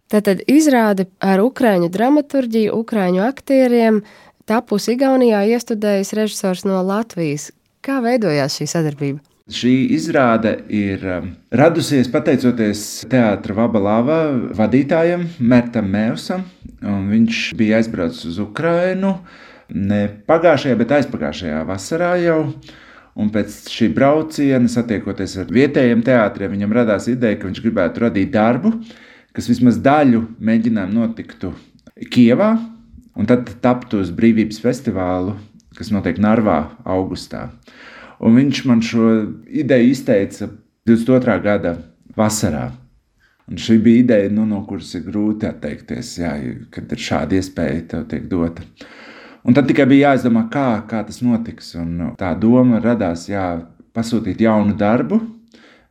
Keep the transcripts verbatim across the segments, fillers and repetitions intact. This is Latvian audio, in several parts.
Tātad izrāde ar ukraiņu dramaturģiju, ukraiņu aktieriem, tapusi Igaunijā, iestudējis režisors no Latvijas. Kā veidojās šī sadarbība? Šī izrāde ir radusies pateicoties teātra Vabalava vadītājam Mertam Mēvsam. Viņš bija aizbraucis uz Ukrainu ne pagājušajā, bet aizpagājušajā vasarā jau. Un pēc šī brauciena, satiekoties ar vietējiem teātriem, viņam radās ideja, ka viņš gribētu radīt darbu, kas vismaz daļu mēģinājumu notiktu Kijevā, un tad taptu uz Brīvības festivālu, kas notiek Narvā augustā. Un viņš man šo ideju izteica divdesmit otrā gada vasarā. Un šī bija ideja, nu, no kuras ir grūti atteikties, jā, kad ir šāda iespēja tev tiek dota. Un tad tikai bija jāizdomā, kā, kā tas notiks. Un tā doma radās, jā, pasūtīt jaunu darbu.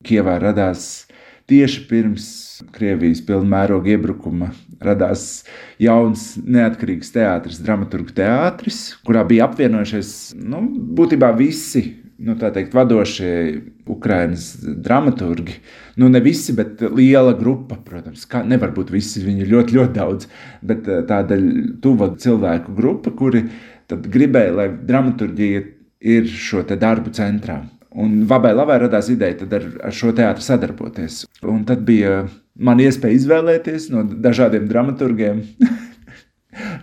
Kijevā radās tieši pirms Krievijas pilna mēroga iebrukuma radās jauns neatkarīgs teātris, dramaturgu teātris, kurā bija apvienojušies, nu, būtībā visi, nu, tā teikt, vadošie Ukrainas dramaturgi. Nu, ne visi, bet liela grupa, protams, kā nevar būt visi, viņi ir ļoti, ļoti daudz, bet tāda tuva cilvēku grupa, kuri tad gribēja, lai dramaturģija ir šo te darbu centrā. Un Vabalavai radās ideja tad ar, ar šo teātru sadarboties. Un tad bija man iespēja izvēlēties no dažādiem dramaturgiem,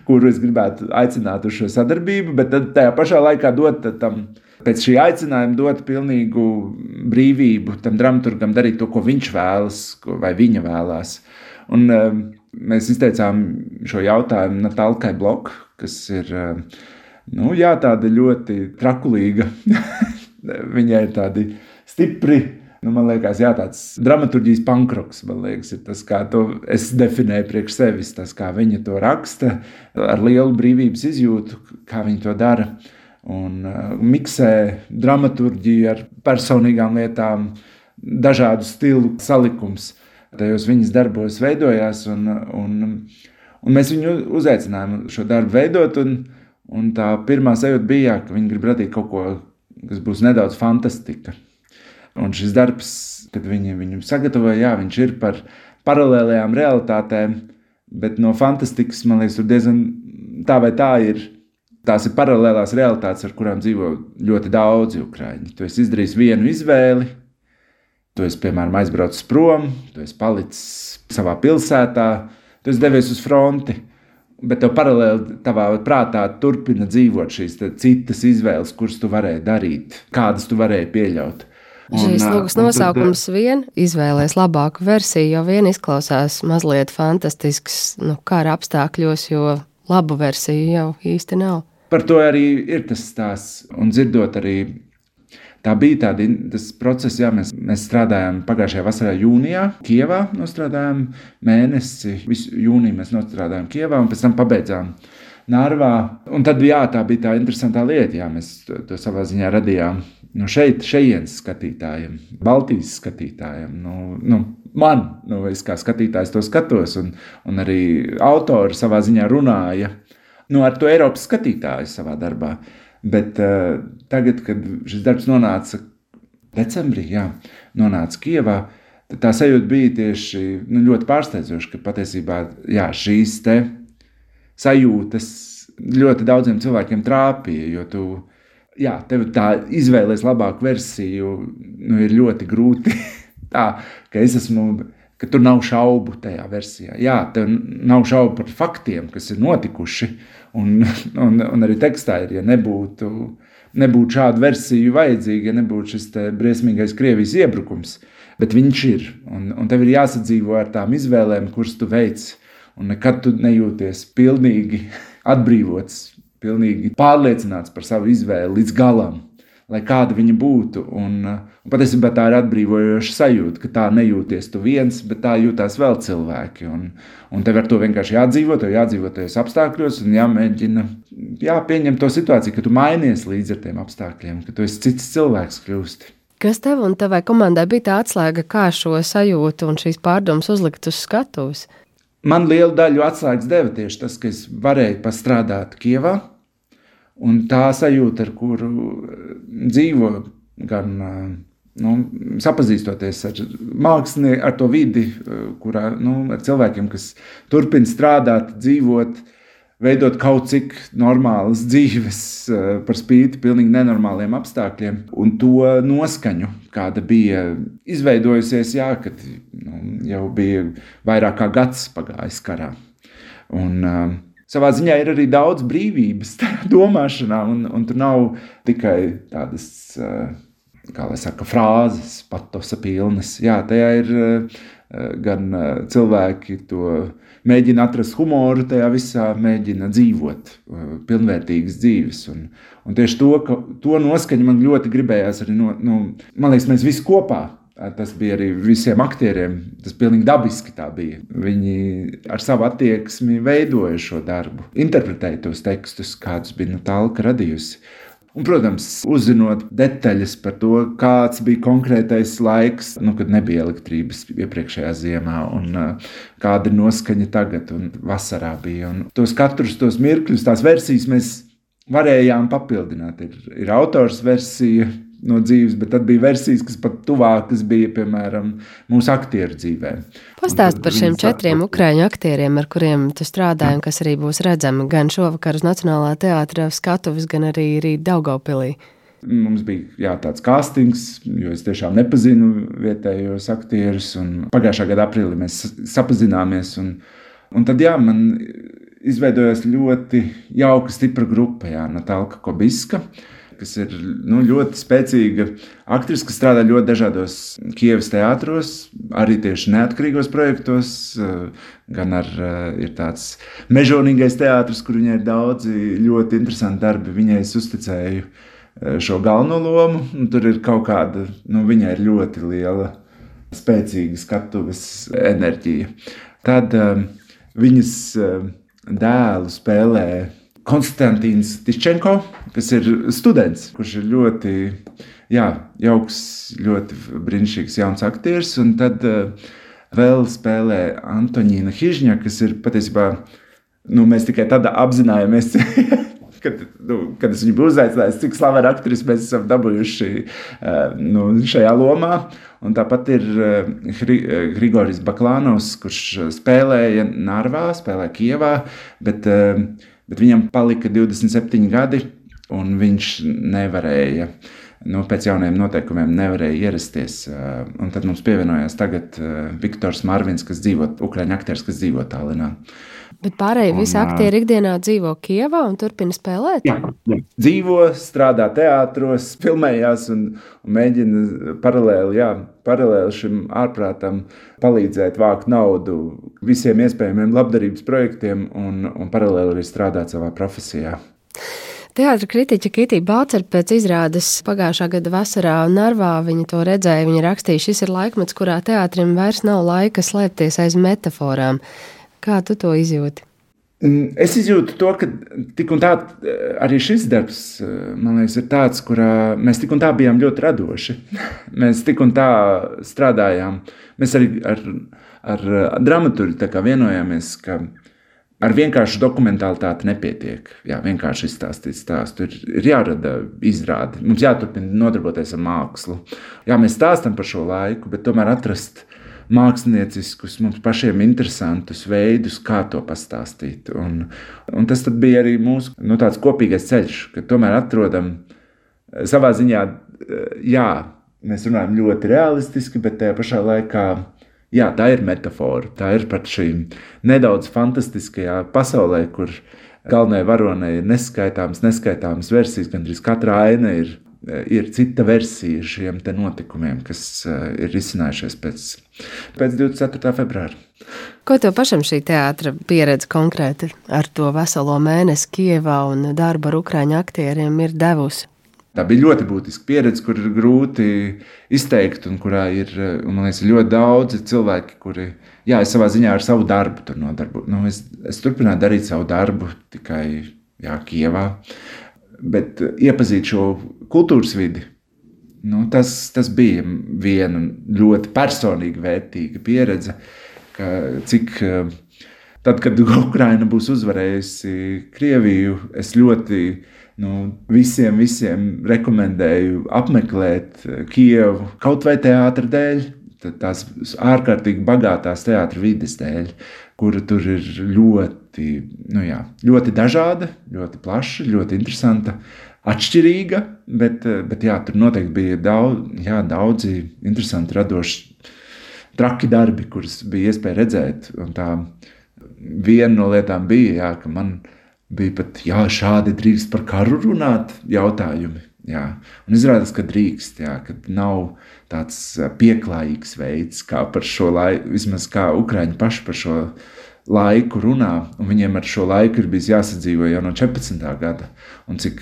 kuru es gribētu aicināt uz šo sadarbību, bet tad tajā pašā laikā dot tam, pēc šī aicinājuma dot pilnīgu brīvību tam dramaturgam darīt to, ko viņš vēlas, ko, vai viņa vēlās. Un uh, mēs izteicām šo jautājumu Natalkai Blok, kas ir, uh, nu jā, tāda ļoti trakulīga. Viņai ir tādi stipri, nu, man liekas, jā, tāds dramaturģijas pankroks, man liekas, ir tas, kā to es definēju priekš sevis, tas, kā viņa to raksta, ar lielu brīvības izjūtu, kā viņa to dara, un uh, miksē dramaturģiju ar personīgām lietām, dažādu stilu salikums. Tajos viņas darbos veidojās, un, un, un mēs viņu uzaicinājām šo darbu veidot, un, un tā pirmā sajūta bija, ka viņi grib radīt kaut ko, kas būs nedaudz fantastika. Un šis darbs, kad viņi viņu sagatavoja, jā, viņš ir par paralēlējām realitātēm, bet no fantastikas, man liekas, tur diezgan tā vai tā ir. Tās ir paralēlās realitātes, ar kurām dzīvo ļoti daudzi ukraiņi. Tu esi izdarījis vienu izvēli, tu esi, piemēram, aizbraucis prom, tu esi palicis savā pilsētā, tu esi devies uz fronti. Bet tev paralēli tavā prātā turpina dzīvot šīs citas izvēles, kuras tu varēji darīt, kādas tu varēji pieļaut. Un, šīs lūgas nosaukums tad, vien izvēlēs labāku versiju, jo vien izklausās mazliet fantastisks, nu, kara apstākļos, jo labu versiju jau īsti nav. Par to arī ir tas stāsts, un dzirdot arī, tā bija tādi, tas process, jā, mēs, mēs strādājām pagājušajā vasarā jūnijā, Kijevā nostrādājām mēnesi, visu jūniju mēs nostrādājām Kijevā, un pēc tam pabeidzām Narvā, un tad, jā, tā bija tā interesantā lieta, jā, mēs to, to savā ziņā radījām, nu, šeit, šejienes skatītājiem, Baltijas skatītājiem, nu, nu, man, nu, es kā skatītājs to skatos, un, un arī autori savā ziņā runāja, nu, ar to Eiropas skatītāju savā darbā. Bet uh, tagad, kad šis darbs nonāca decembrī, jā, nonāca Kijevā, tad tā sajūta bija tieši nu, ļoti pārsteidzoša, ka patiesībā jā, šīs te sajūtas ļoti daudziem cilvēkiem trāpīja, jo tu, jā, tev tā izvēlēs labāku versiju, nu, ir ļoti grūti tā, ka es esmu, ka tur nav šaubu tajā versijā. Jā, tev nav šaubu par faktiem, kas ir notikuši, un, un, un arī tekstā ir, ja nebūtu, nebūtu šādu versiju vajadzīga, ja nebūtu šis te briesmīgais Krievijas iebrukums, bet viņš ir, un, un tev ir jāsadzīvo ar tām izvēlēm, kuras tu veic, un nekad tu nejūties pilnīgi atbrīvots, pilnīgi pārliecināts par savu izvēli līdz galam, lai kāda viņa būtu, un, un patiesībā tā ir atbrīvojoša sajūta, ka tā nejūties tu viens, bet tā jūtās vēl cilvēki, un, un tev ar to vienkārši jādzīvo, tev jādzīvo tajos apstākļos, un jāmēģina, jāpieņem to situāciju, ka tu mainies līdz ar tiem apstākļiem, ka tu esi cits cilvēks kļūsti. Kas tev un tavai komandai bija tā atslēga, kā šo sajūtu un šīs pārdomas uzlikt uz skatuves? Man lielu daļu atslēgas deva tieši tas, ka es varēju pastrādāt Kijevā, un tā sajūta, ar kuru dzīvo gan nu, sapazīstoties ar mākslinieku, ar to vidi, kurā, nu, ar cilvēkiem, kas turpina strādāt, dzīvot, veidot kaut cik normālas dzīves par spīti pilnīgi nenormāliem apstākļiem, un to noskaņu, kāda bija izveidojusies, jā, kad nu, jau bija vairāk kā gads pagājis karā. Un uh, savā ziņā ir arī daudz brīvības domāšanā, un, un tur nav tikai tādas, uh, kā lai saka, frāzes, patosa pilnas. Jā, tajā ir uh, gan uh, cilvēki to mēģina atrast humoru tajā visā, mēģina dzīvot uh, pilnvērtīgas dzīves. Un, un tieši to, ka, to noskaņu man ļoti gribējās arī, no, no, man liekas, mēs visi kopā, tas bija arī visiem aktieriem, tas pilnīgi dabiski tā bija. Viņi ar savu attieksmi veidoja šo darbu, interpretēja tos tekstus, kādus bija Natālka radījusi. Un, protams, uzzinot detaļas par to, kāds bija konkrētais laiks, nu, kad nebija elektrības iepriekšējā ziemā, un uh, kāda ir noskaņa tagad, un vasarā bija. Un tos katrus tos mirkļus, tās versijas mēs varējām papildināt. Ir, ir autors versija no dzīves, bet tad bija versijas, kas pat tuvākas bija, piemēram, mūsu aktieru dzīvē. Pastāst par šiem četriem ukraiņu aktieriem, ar kuriem tu strādāji, un kas arī būs redzami gan šovakar uz Nacionālā teātra skatuves, gan arī rīt Daugavpilī. Mums bija jā, tāds kastings, jo es tiešām nepazinu vietējos aktierus, un pagājušā gada aprīlī mēs sapazināmies, un, un tad jā, man izveidojās ļoti jauka, stipra grupa, jā, Natālka Kobiska, kas ir nu, ļoti spēcīga aktrise, kas strādā ļoti dažādos Kievas teātros, arī tieši neatkarīgos projektos, gan ar, ir tāds mežonīgais teātris, kur viņai ir daudzi ļoti interesanti darbi. Viņai es uzticēju šo galveno lomu, un tur ir kaut kāda, nu, viņai ir ļoti liela, spēcīga skatuves enerģija. Tad um, viņas um, dēlu spēlē Konstantīns Tiščenko, kas ir students, kurš ir ļoti jā, jauks, ļoti brīnišķīgs jauns aktieris, un tad uh, vēl spēlē Antoņīna Hižņa, kas ir patiesībā, nu, mēs tikai tad apzinājāmies, kad, nu, kad es viņu biju uzaicinājis, cik slavena aktris mēs esam dabūjuši uh, nu, šajā lomā. Un tāpat ir uh, Grigorijs Baklānovs, kurš spēlēja Narvā, spēlēja Kievā, bet uh, Bet viņam palika divdesmit septiņi gadi, un viņš nevarēja, nu, pēc jauniem noteikumiem nevarēja ierasties. Un tad mums pievienojās tagad Viktors Marvins, kas dzīvo, ukraiņu aktieris, kas dzīvo Tallinā. Bet pārējie visi aktieri ikdienā dzīvo Kievā un turpina spēlēt? Jā, jā. Dzīvo, strādā teātros, filmējās un, un mēģina paralēli, jā, paralēli šim ārprātam palīdzēt vākt naudu visiem iespējamiem labdarības projektiem un, un paralēli arī strādāt savā profesijā. Teātra kritiķa Kitī Bācer pēc izrādes pagājušā gada vasarā Narvā, viņa to redzēja, viņa rakstīja, šis ir laikmets, kurā teātrim vairs nav laika slēpties aiz metaforām. Kā tu to izjūti? Es izjūtu to, ka tik un tā arī šis darbs, man liekas, ir tāds, kurā mēs tik un tā bijām ļoti radoši. Mēs tik un tā strādājām. Mēs arī ar, ar dramaturgu tā kā vienojāmies, ka ar vienkāršu dokumentālitāti nepietiek. Jā, vienkārši izstāstīt stāstu. Ir, ir jārada izrāde. Mums jāturpina nodarboties ar mākslu. Jā, mēs stāstam par šo laiku, bet tomēr atrast mākslinieciskus, mums pašiem interesantus veidus, kā to pastāstīt. Un, un tas tad bija arī mūsu nu, tāds kopīgais ceļš, ka tomēr atrodam savā ziņā, jā, mēs runājam ļoti realistiski, bet tajā pašā laikā, jā, tā ir metafora, tā ir pat šī nedaudz fantastiskajā pasaulē, kur galvenajai varonei ir neskaitāmas, neskaitāmas versijas, gandrīz katra aina ir ir cita versija šiem te notikumiem, kas ir risinājušies pēc, pēc divdesmit ceturtā februāra. Ko tev pašam šī teātra pieredze konkrēti ar to veselo mēnesi Kievā un darbu ar ukraiņu aktieriem ir devusi? Tā bija ļoti būtiska pieredze, kur ir grūti izteikt un kurā ir, un man liekas, ļoti daudzi cilvēki, kuri, jā, es savā ziņā ar savu darbu tur nodarbu. Nu, es, es turpināju darīt savu darbu tikai, jā, Kievā. Bet iepazīt šo kultūras vidi, nu, tas, tas bija viena ļoti personīga, vērtīga pieredze, ka cik tad, kad Ukraina būs uzvarējusi Krieviju, es ļoti Nu, visiem, visiem rekomendēju apmeklēt Kijevu kaut vai teātra dēļ, tās ārkārtīgi bagātās teātra vides dēļ, kura tur ir ļoti, nu jā, ļoti dažāda, ļoti plaša, ļoti interesanta, atšķirīga, bet, bet jā, tur noteikti bija daudz, jā, daudzi interesanti radoši traki darbi, kurus bija iespēja redzēt. Un tā viena no lietām bija, jā, ka man bija pat, jā, šādi drīkst par karu runāt jautājumi. Jā. Un izrādās, ka drīkst, jā, ka nav tāds pieklājīgs veids, kā par šo laiku, vismaz kā Ukraiņi paši par šo laiku runā, un viņiem ar šo laiku ir bijis jāsadzīvo jau no četrpadsmitā gada, un cik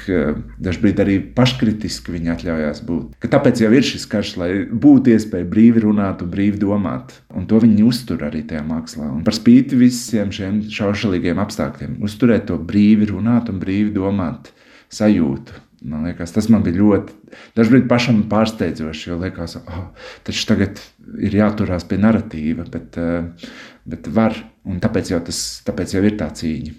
dažbrīd arī paškritiski viņi atļaujās būt. Ka tāpēc jau ir šis karš, lai būtu iespēja brīvi runāt un brīvi domāt, un to viņi uztur arī tajā mākslā. Un par spīti visiem šiem šaušalīgiem apstākļiem, uzturēt to brīvi runāt un brīvi domāt sajūtu. Man liekas, tas man bija ļoti, dažbrīd pašam pārsteidzoši, jo liekas, oh, taču tagad ir jāturās pie naratīva, bet, bet var, un tāpēc jau, tas, tāpēc jau ir tā cīņa.